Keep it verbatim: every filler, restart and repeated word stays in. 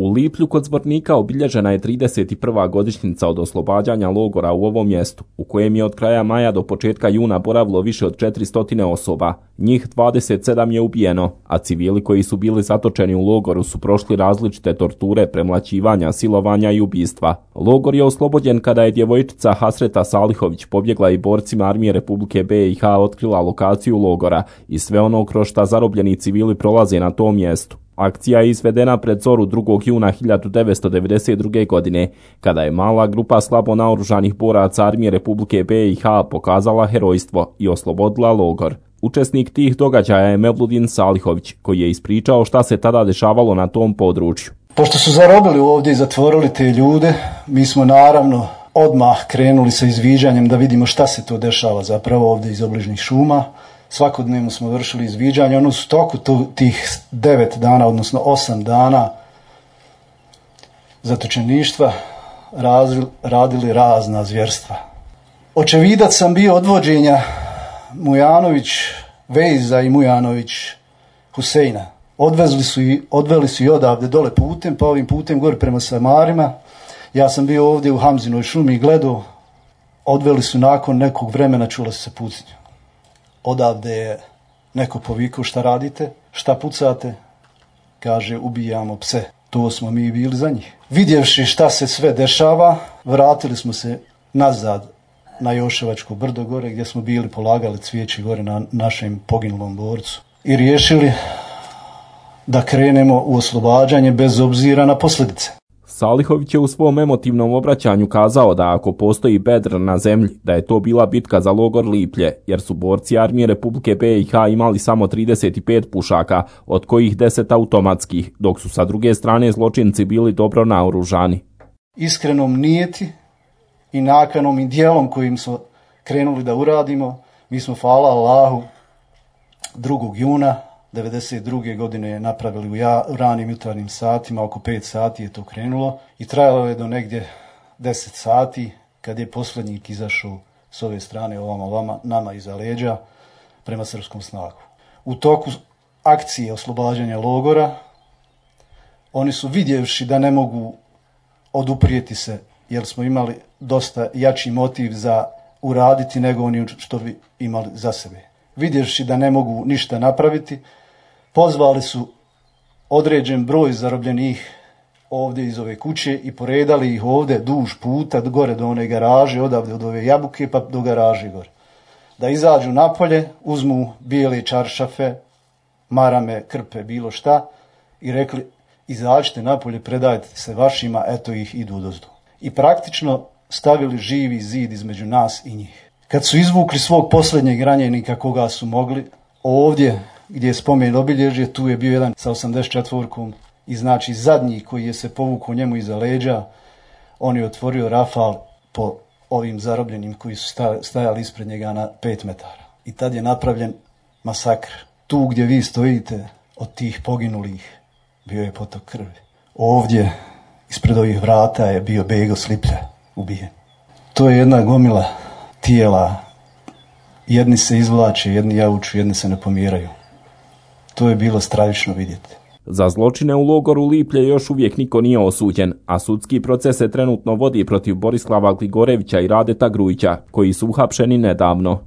U Liplju kod Zvornika obilježena je trideset prva godišnjica od oslobađanja logora u ovom mjestu, u kojem je od kraja maja do početka juna boravilo više od četiristo osoba. Njih dvadeset sedam je ubijeno, a civili koji su bili zatočeni u logoru su prošli različite torture, premlaćivanja, silovanja i ubistva. Logor je oslobođen kada je djevojčica Hasreta Salihović pobjegla i borcima Armije Republike B i H otkrila lokaciju logora i sve ono kroz šta zarobljeni civili prolaze na tom mjestu. Akcija je izvedena pred zoru drugog juna hiljadu devetsto devedeset druge. godine, kada je mala grupa slabo naoružanih boraca Armije Republike B i H pokazala herojstvo i oslobodila logor. Učesnik tih događaja je Mevludin Salihović, koji je ispričao šta se tada dešavalo na tom području. Pošto su zarobili ovdje i zatvorili te ljude, mi smo naravno odmah krenuli sa izviđanjem da vidimo šta se to dešava zapravo ovdje iz obližnjih šuma. Svakodnevno smo vršili izviđanje, ono su toku tih devet dana, odnosno osam dana zatočeništva radili razna zvjerstva. Očevidac sam bio odvođenja Mujanović, Vejza i Mujanović Huseina. Odvezli su i, odveli su i odavde dole putem, pa ovim putem gore prema Samarima. Ja sam bio ovdje u Hamzinoj šumi i gledao, odveli su nakon nekog vremena, čula se pucnja. Odavde je neko povikao šta radite, šta pucate, kaže ubijamo pse. To smo mi bili za njih. Vidjevši šta se sve dešava, vratili smo se nazad na Joševačko brdo gore gdje smo bili polagali cvijeće gore na našem poginulom borcu i riješili da krenemo u oslobađanje bez obzira na posljedice. Salihović je u svom emotivnom obraćanju kazao da ako postoji bedr na zemlji, da je to bila bitka za logor Liplje, jer su borci Armije Republike B i H imali samo trideset pet pušaka, od kojih deset automatskih, dok su sa druge strane zločinci bili dobro naoružani. Iskrenom nijeti i nakanom i dijelom kojim smo krenuli da uradimo, mi smo, hvala Allahu, drugog juna devedeset druge. godine napravili u, ja, u ranim jutarnjim satima, oko pet sati je to krenulo i trajalo je do negdje deset sati kad je posljednjik izašao s ove strane ovama, ovama nama iza leđa prema srpskom snagu. U toku akcije oslobađanja logora oni su, vidjevši da ne mogu oduprijeti se, jer smo imali dosta jači motiv za uraditi nego oni što bi imali za sebe. Vidjevši da ne mogu ništa napraviti, pozvali su određen broj zarobljenih ovdje iz ove kuće i poredali ih ovdje duž puta gore do one garaže, odavde od ove jabuke pa do garaže gore. Da izađu napolje, uzmu bijele čaršafe, marame, krpe, bilo šta i rekli izađite napolje, predajte se vašima, eto ih idu odozdo. I praktično stavili živi zid između nas i njih. Kad su izvukli svog posljednjeg ranjenika koga su mogli, ovdje gdje je spomen obilježje, tu je bio jedan sa osamdeset četvorkom i znači zadnji koji je se povukao njemu iza leđa, on je otvorio rafal po ovim zarobljenim koji su stajali ispred njega na pet metara. I tad je napravljen masakr. Tu gdje vi stojite od tih poginulih bio je potok krvi. Ovdje ispred ovih vrata je bio Bego Sliplja ubijen. To je jedna gomila tijela, jedni se izvlače, jedni jauču, jedni se ne pomiraju. To je bilo stravično vidjeti. Za zločine u logoru Liplje još uvijek niko nije osuđen, a sudski proces se trenutno vodi protiv Borislava Gligorevića i Radeta Grujića, koji su uhapšeni nedavno.